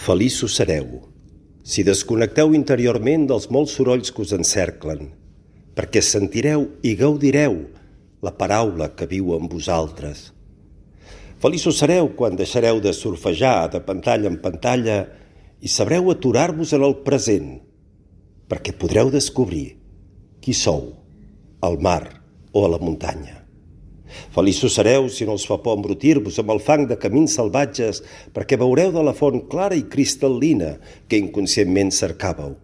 Feliços sereu, si desconnecteu interiorment dels molts sorolls que us encerclen, perquè sentireu i gaudireu la paraula que viu en vosaltres. Feliços sereu quan deixareu de surfejar de pantalla en pantalla i sabreu aturar-vos en el present, perquè podreu descobrir qui sou, al mar o a la muntanya. Feliços sereu si no us fa por embrutir-vos amb el fang de camins salvatges, perquè veureu de la font clara i cristal·lina que inconscientment cercàveu.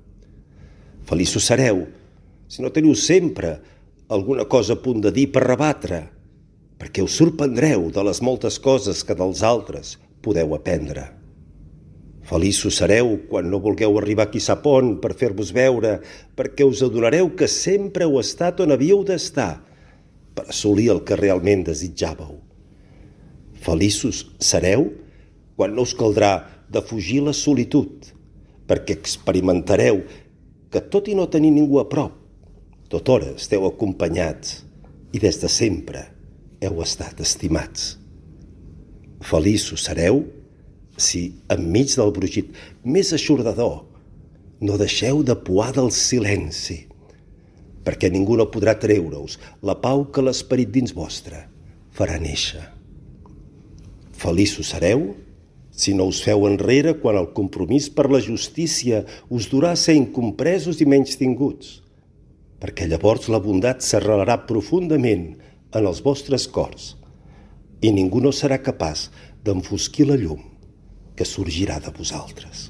Feliços sereu si no teniu sempre alguna cosa a punt de dir per rebatre, perquè us sorprendreu de les moltes coses que dels altres podeu aprendre. Feliços sereu quan no vulgueu arribar qui sap on per fer-vos veure, perquè us adonareu que sempre heu estat on havíeu d'estar, per assolir el que realment desitjàveu. Feliços sereu quan no us caldrà defugir la solitud, perquè experimentareu que tot i no tenir ningú a prop, tothora esteu acompanyats i des de sempre heu estat estimats. Feliços sereu si, enmig del brugit més eixordador, no deixeu de puar del silenci, perquè ningú no podrà treure-us la pau que l'esperit dins vostre farà néixer. Feliços sereu si no us feu enrere quan el compromís per la justícia us durà a ser incompresos i menystinguts, perquè llavors la bondat s'arrelarà profundament en els vostres cors i ningú no serà capaç d'enfosquir la llum que sorgirà de vosaltres.